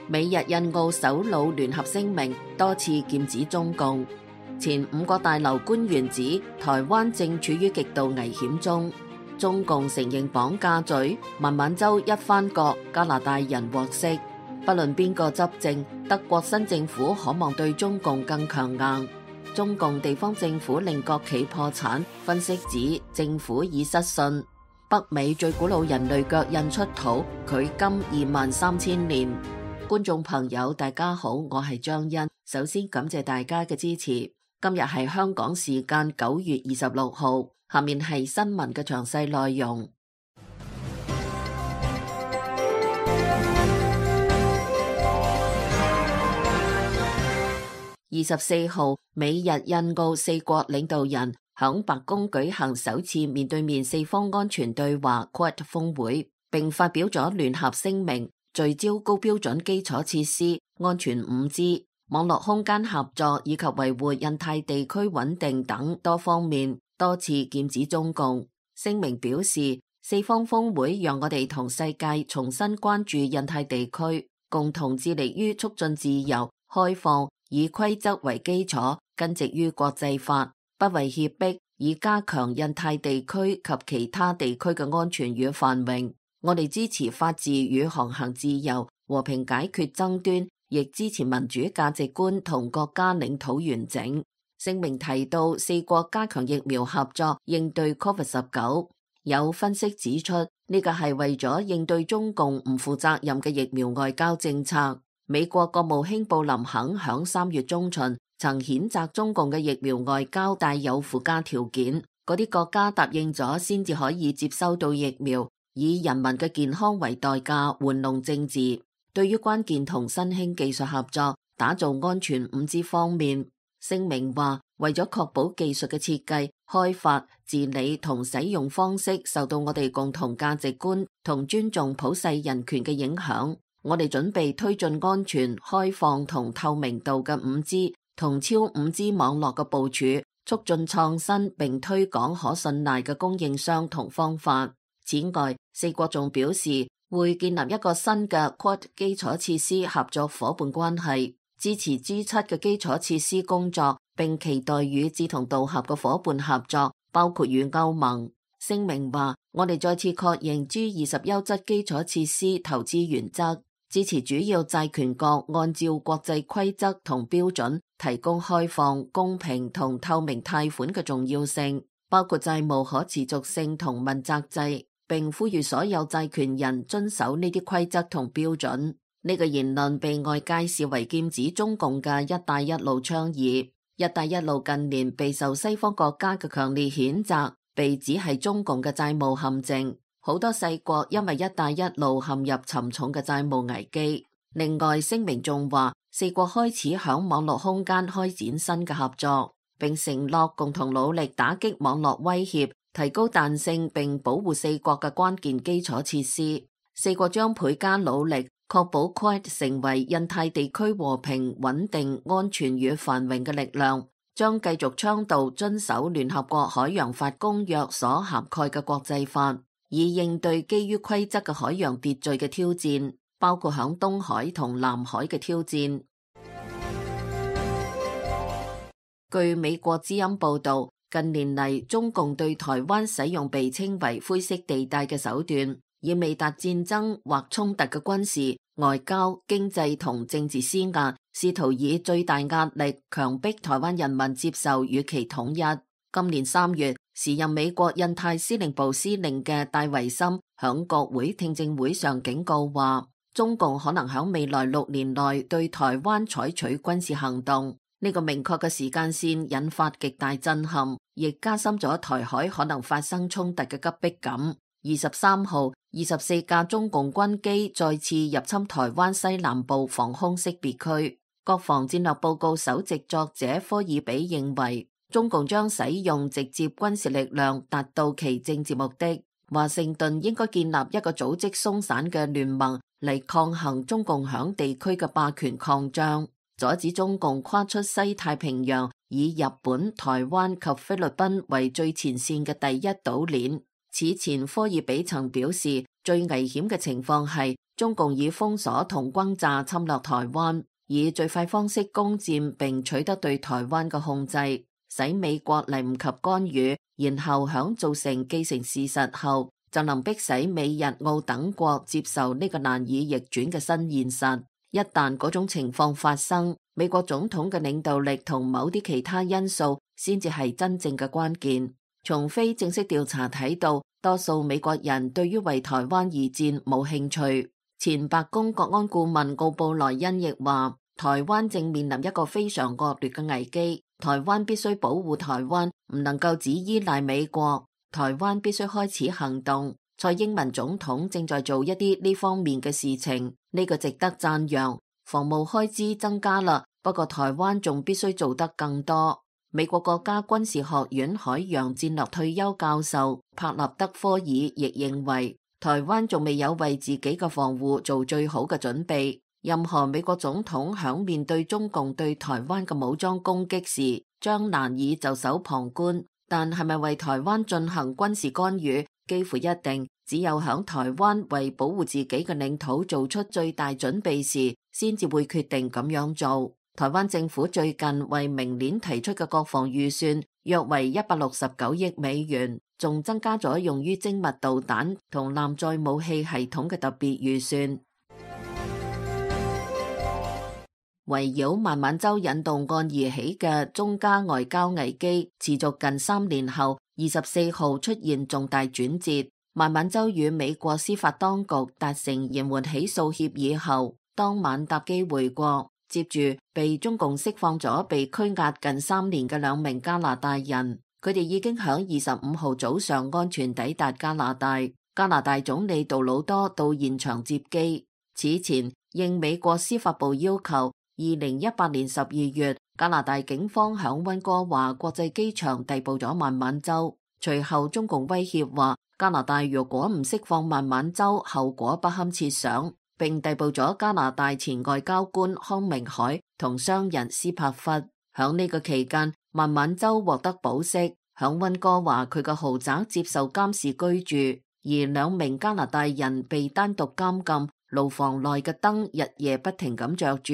美日印澳首腦聯合聲明多次劍指中共。前5個大樓官員指台灣正處於極度危險中。中共承認綁架罪，孟晚舟一翻國，加拿大人獲釋。不論邊個執政，德國新政府可望對中共更強硬。中共地方政府令國企破產，分析指政府已失信。北美最古老人類腳印出土，距今23000年。觀眾朋友大家好，我係張欣，首先感謝大家嘅支持。今日係香港時間9月26號，下面係新聞嘅詳細內容。24號，美日印澳4國領導人響白宮舉行首次面對面4方安全對話 QUAD 峰會，並發表咗聯合聲明，聚焦高標準基礎設施、安全5G、網絡空間合作以及維護印太地區穩定等多方面，多次劍指中共。聲明表示，4方峰會讓我哋同世界重新關注印太地區，共同致力於促進自由、開放，以規則為基礎，根植於國際法，不為脅迫，以加強印太地區及其他地區嘅安全與繁榮。我哋支持法治與航行自由，和平解決爭端，亦支持民主價值觀同國家領土完整。聲明提到4國加強疫苗合作，應對 COVID-19。有分析指出，呢個係為咗應對中共唔負責任嘅疫苗外交政策。美國國務卿布林肯響3月中旬曾譴責中共嘅疫苗外交帶有附加條件，嗰啲國家答應咗先至可以接收到疫苗，以人民嘅健康為代價玩弄政治。對於關鍵同新興技術合作、打造安全5G方面，聲明話為咗確保技術嘅設計、開發、治理同使用方式受到我哋共同價值觀同尊重普世人權嘅影響，我哋準備推進安全、開放同透明度嘅5G 同超5G 網絡嘅部署，促進創新並推廣可信賴嘅供應商同方法。此外，4國仲表示會建立一個新嘅 QUAD 基礎設施合作夥伴關係，支持 G7 嘅基礎設施工作，並期待與志同道合嘅夥伴合作，包括與歐盟。聲明話，我哋再次確認 G20 優質基礎設施投資原則，支持主要債權國按照國際規則同標準提供開放、公平同透明貸款嘅重要性，包括債務可持續性同問責制，並呼籲所有債權人遵守呢啲規則同標準。呢個言論被外界視為劍指中共嘅一帶一路倡議。一帶一路近年備受西方國家嘅強烈譴責，被指係中共嘅債務陷阱。好多細國因為一帶一路陷入沉重嘅債務危機。另外，聲明仲話4國開始響網絡空間開展新嘅合作，並承諾共同努力打擊網絡威脅，提高彈性並保護4國嘅關鍵基礎設施。4國將倍加努力，確保 QUAD 成為印太地區和平、穩定、安全與繁榮嘅力量，將繼續倡導遵守聯合國海洋法公約所涵蓋嘅國際法，以應對基於規則嘅海洋秩序嘅挑戰，包括響東海同南海嘅挑戰。據美國之音報道，近年嚟中共對台灣使用被稱為灰色地帶嘅手段，以未達戰爭或衝突嘅軍事、外交、經濟同政治施壓，試圖以最大壓力強迫台灣人民接受與其統一。今年3月，時任美國印太司令部司令嘅戴維森響國會聽證會上警告話，中共可能響未來6年內對台灣採取軍事行動。呢個明確嘅時間線引發極大震撼，亦加深咗台海可能發生衝突嘅急迫感。23號，24架中共軍機再次入侵台灣西南部防空識別區。國防戰略報告首席作者科爾比認為，中共將使用直接軍事力量達到其政治目的。華盛頓應該建立一個組織鬆散嘅聯盟嚟抗衡中共響地區嘅霸權擴張，阻止中共跨出西太平洋，以日本、台灣及菲律賓為最前線嘅第一島鏈。此前科爾比曾表示，最危險嘅情況係中共以封鎖同轟炸侵略台灣，以最快方式攻佔並取得對台灣嘅控制，使美國嚟唔及干預，然後響造成既成事實後，就能迫使美日澳等國接受呢個難以逆轉嘅新現實。一旦嗰種情況發生，美國總統嘅領導力同某啲其他因素先至係真正嘅關鍵。從非正式調查睇到，多數美國人對於為台灣而戰冇興趣。前白宮國安顧問奧布萊恩亦話，台灣正面臨一個非常惡劣嘅危機，台灣必須保護台灣，唔能夠只依賴美國，台灣必須開始行動。蔡英文總統正在做一啲呢方面嘅事情，呢個值得讚揚。防務開支增加啦，不過台灣仲必須做得更多。美國國家軍事學院海洋戰略退休教授帕納德科爾亦認為，台灣仲未有為自己嘅防護做最好嘅準備。任何美國總統響面對中共對台灣嘅武裝攻擊時，將難以袖手旁觀。但係咪為台灣進行軍事干預，幾乎一定只有響台灣為保護自己嘅領土做出最大準備時，先至會決定咁樣做。台灣政府最近為明年提出嘅國防預算約為169億美元，仲增加咗用於精密導彈同艦載武器系統嘅特別預算。圍繞孟晚舟引渡案而起嘅中加外交危機持續近3年後，24號出現重大轉折。孟晚舟與美國司法當局達成延緩起訴協議後，當晚搭機回國，接住被中共釋放咗被拘押近3年嘅2名加拿大人，佢哋已經響25號早上安全抵達加拿大。加拿大總理杜魯多到現場接機。此前應美國司法部要求，2018年12月，加拿大警方響溫哥華國際機場逮捕咗孟晚舟。隨後中共威脅話，加拿大如果唔釋放孟晚舟，後果不堪設想，並逮捕咗加拿大前外交官康明凱同商人斯帕弗。響呢個期間，孟晚舟獲得保釋，響溫哥華佢嘅豪宅接受監視居住，而2名加拿大人被單獨監禁，牢房內嘅燈日夜不停咁着住。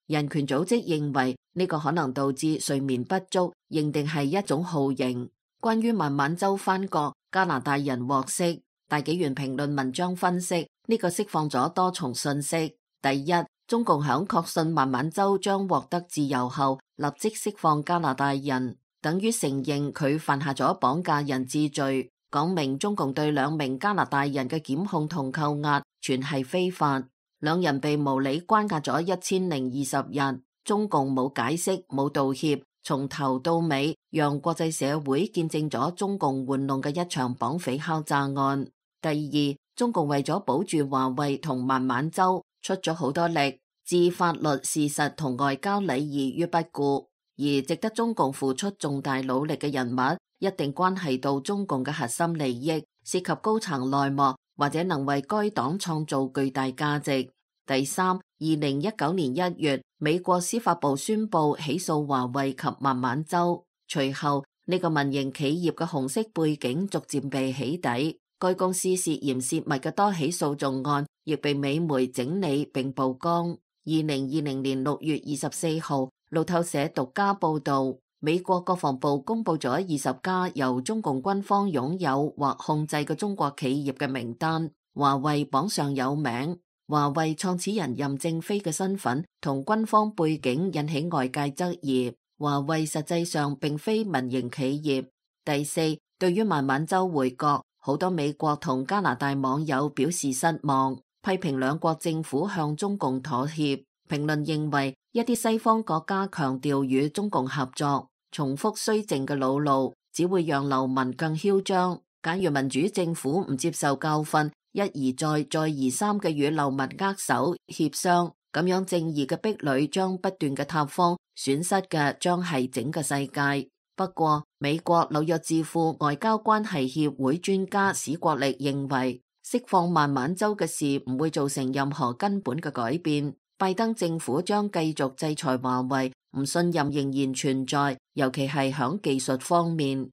人權組織認為呢個可能導致睡眠不足，認定係一種酷刑。關於孟晚舟返國，加拿大人獲釋，大紀元評論文章分析呢個釋放咗多重信息。第一，中共響確信孟晚舟將獲得自由後，立即釋放加拿大人，等於承認佢犯下咗綁架人質罪，講明中共對2名加拿大人嘅檢控同扣押全係非法。2人被無理關押咗1020日，中共冇解釋冇道歉，從頭到尾讓國際社會見證咗中共玩弄嘅一場綁匪敲詐案。第二，中共為咗保住華為同孟晚舟出咗好多力，置法律事實同外交禮儀於不顧，而值得中共付出重大努力嘅人物，一定關係到中共嘅核心利益，涉及高層內幕，或者能為該黨創造巨大價值。第三，2019年1月，美國司法部宣布起訴華為及孟晚舟，隨後呢個民營企業嘅紅色背景逐漸被起底，該公司涉嫌洩密嘅多起訴訟案亦被美媒整理並曝光。2020年6月24號，路透社獨家報道，美國國防部公布咗20家由中共軍方擁有或控制嘅中國企業嘅名單，華為榜上有名。華為創始人任正非嘅身份同軍方背景引起外界質疑，華為實際上並非民營企業。第四，對於孟晚舟回國，好多美國同加拿大網友表示失望，批評兩國政府向中共妥協。評論認為，一啲西方國家強調與中共合作，重複綏靖嘅老路，只會讓流民更囂張。假如民主政府唔接受教訓，一而再再而三嘅與流民握手協商，咁樣正義嘅壁壘將不斷嘅塌方，損失嘅將係整個世界。不過，美國紐約智庫外交關係協會專家史國力認為，釋放孟晚舟嘅事唔會造成任何根本嘅改變。拜登政府將繼續制裁華為，唔信任仍然存在，尤其係響技術方面。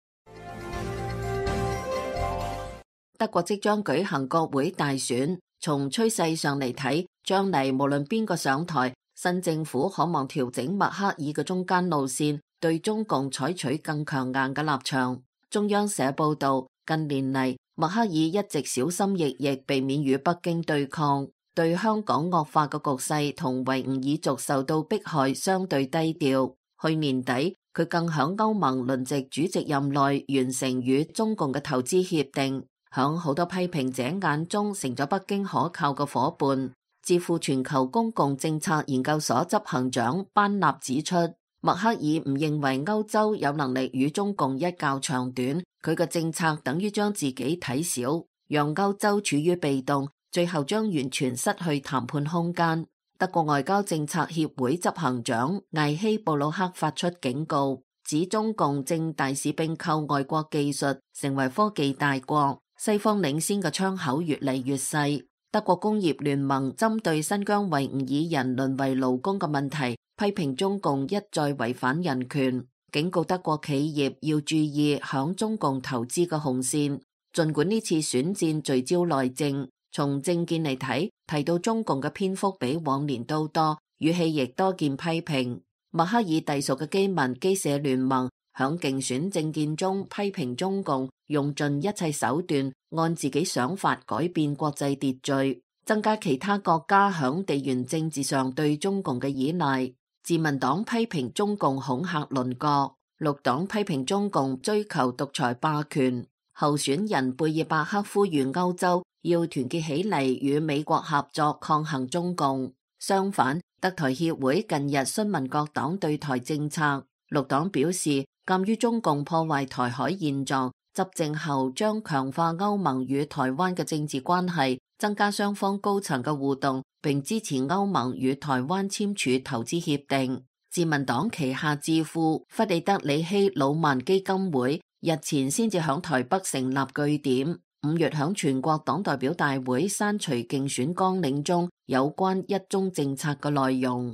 德國即將舉行國會大選，從趨勢上嚟睇，將嚟無論邊個上台，新政府可望調整默克爾嘅中間路線，對中共採取更強硬嘅立場。中央社報道，近年嚟默克爾一直小心翼翼避免與北京對抗，對香港惡化嘅局勢同維吾爾族受到迫害相對低調。去年底，佢更響歐盟輪值主席任內完成與中共嘅投資協定，響好多批評者眼中成咗北京可靠嘅夥伴。智庫全球公共政策研究所執行長班納指出，默克爾唔認為歐洲有能力與中共一較長短，佢嘅政策等於將自己睇小，讓歐洲處於被動，最後將完全失去談判空間。德國外交政策協會執行長艾希布魯克發出警告，指中共正大肆併購外國技術，成為科技大國，西方領先嘅窗口越嚟越細。德國工業聯盟針對新疆維吾爾人淪為勞工嘅問題，批評中共一再違反人權，警告德國企業要注意響中共投資嘅紅線。儘管呢次選戰聚焦內政，從政見嚟睇，提到中共嘅篇幅比往年都多，語氣亦多見批評。默克爾隸屬嘅基民基社聯盟響競選政見中批評中共用盡一切手段，按自己想法改變國際秩序，增加其他國家響地緣政治上對中共嘅依賴。自民黨批評中共恐嚇鄰國，綠黨批評中共追求獨裁霸權。候選人貝爾伯克呼籲歐洲要團結起嚟與美國合作抗衡中共。相反，德台協會近日詢問各黨對台政策，綠黨表示，鑒於中共破壞台海現狀，執政後將強化歐盟與台灣嘅政治關係，增加雙方高層嘅互動，並支持歐盟與台灣簽署投資協定。自民黨旗下智庫弗里德里希魯曼基金會日前先至響台北成立據點，5月響全國黨代表大會刪除競選綱領中有關一中政策嘅內容。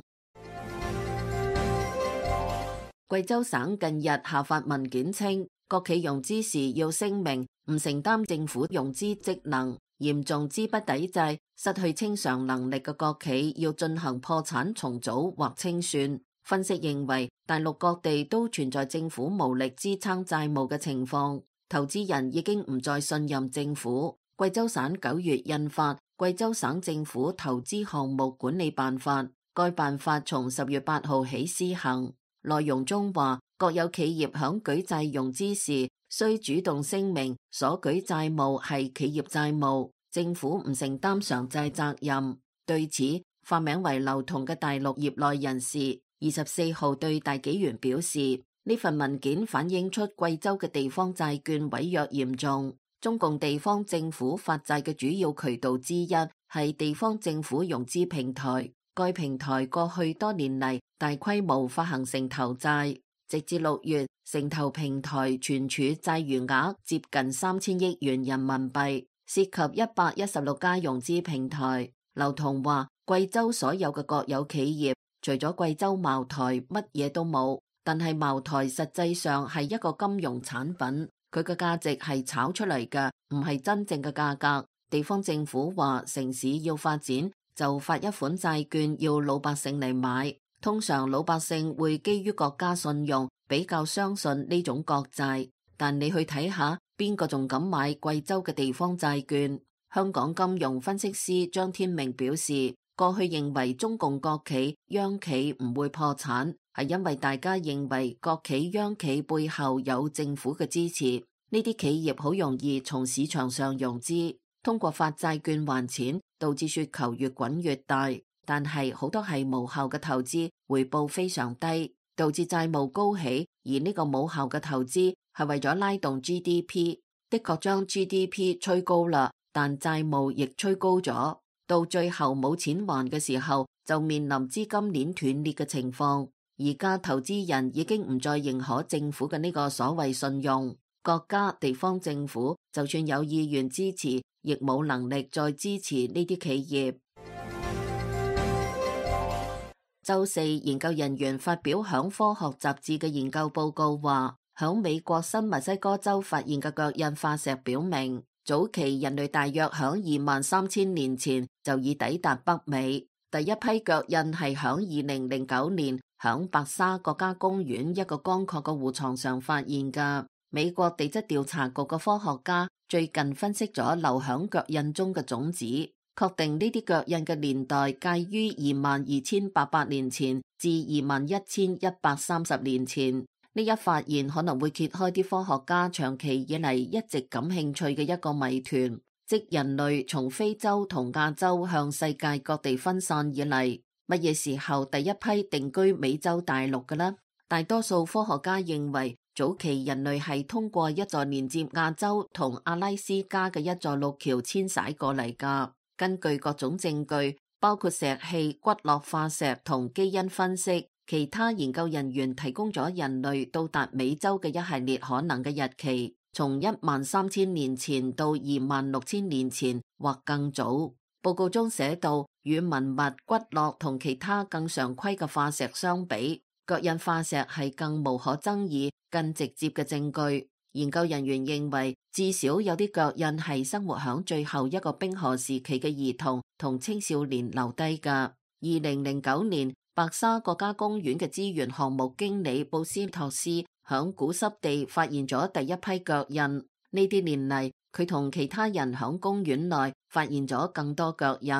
貴州省近日下發文件稱，國企融資時要聲明唔承擔政府融資職能，嚴重資不抵債、失去清償能力嘅國企要進行破產重組或清算。分析認為，大陸各地都存在政府無力支撐債務嘅情況，投資人已經唔再信任政府。貴州省9月印發《貴州省政府投資項目管理辦法》，該辦法從10月8號起施行。內容中話，國有企業響舉債融資時，需主動聲明所舉債務係企業債務，政府唔承擔償債責任。對此，化名為劉同嘅大陸業內人士24號對大紀元表示，呢份文件反映出貴州嘅地方債券違約嚴重。中共地方政府發債嘅主要渠道之一係地方政府融資平台，該平台過去多年嚟大規模發行城投債，直至6月，城投平台存儲債餘額接近3000億元人民幣，涉及116家融資平台。劉同話，貴州所有嘅國有企業，除咗貴州茅台，乜嘢都冇。但係茅台實際上係一個金融產品，佢嘅價值係炒出嚟嘅，唔係真正嘅價格。地方政府話城市要發展，就發一款債券要老百姓嚟買。通常老百姓會基於國家信用，比較相信呢種國債。但你去睇下，邊個仲敢買貴州嘅地方債券？香港金融分析師張天明表示，過去認為中共國企、央企唔會破產，係因為大家認為國企、央企背後有政府嘅支持，呢啲企業好容易從市場上融資，通過發債券還錢，導致雪球越滾越大。但係好多係無效嘅投資，回報非常低，導致債務高起。而呢個冇效嘅投資係為咗拉動 GDP， 的確將 GDP 吹高啦，但債務亦吹高咗，到最後冇錢還嘅時候，就面臨資金鏈斷裂嘅情況。而家投資人已經唔再認可政府嘅呢個所謂信用，國家、地方政府就算有意願支持，亦冇能力再支持呢啲企業。周四，研究人員發表響科學雜誌嘅研究報告話，響美國新墨西哥州發現嘅腳印化石表明，早期人類大約響23000年前就已抵達北美。第一批腳印係響2009年響白沙國家公園一個乾涸嘅湖床上發現㗎。美國地質調查局嘅科學家最近分析咗留響腳印中嘅種子，確定呢啲腳印嘅年代介於22800年前至21130年前。呢一發現可能會揭開啲科學家長期以嚟一直感興趣嘅一個謎團，即人類從非洲同亞洲向世界各地分散以嚟，乜嘢時候第一批定居美洲大陸嘅呢？大多數科學家認為，早期人類係通過一座連接亞洲同阿拉斯加嘅一座陸橋遷徙過嚟㗎。根據各種證據，包括石器、骨骼化石同基因分析，其他研究人員提供咗人類到達美洲嘅一系列可能嘅日期，從13000年前到26000年前或更早。報告中寫到，與文物、骨骼同其他更常規嘅化石相比，腳印化石係更無可爭議、更直接嘅證據。研究人員認為，至少有啲腳印係生活響最後一個冰河時期嘅兒童同青少年留低㗎。2009年，白沙國家公園嘅資源項目經理布斯托斯響古濕地發現咗第一批腳印。呢啲年嚟，佢同其他人響公園內發現咗更多腳印。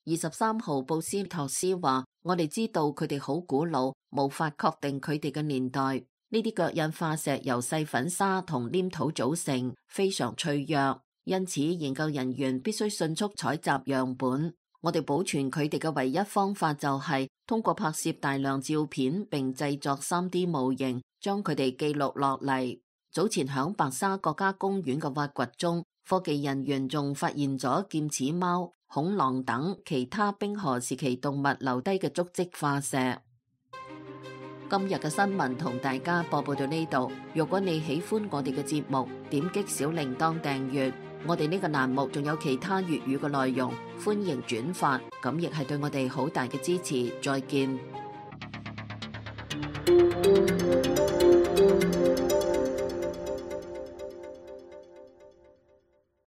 23號，布斯托斯話：我哋知道佢哋好古老，無法確定佢哋嘅年代。呢啲腳印化石由細粉沙同黏土組成，非常脆弱，因此研究人員必須迅速採集樣本。我哋保存佢哋嘅唯一方法就係通過拍攝大量照片並製作 3D 模型，將佢哋記錄落嚟。早前響白沙國家公園嘅挖掘中，科技人員仲發現咗劍齒貓、恐龍等其他冰河時期動物留低嘅足跡化石。今日嘅新聞同大家播報到呢度。如果你喜歡我哋嘅節目，點擊小鈴鐺訂閱。我哋呢個欄目仲有其他粵語嘅內容，歡迎轉發，咁亦係對我哋好大嘅支持。再見。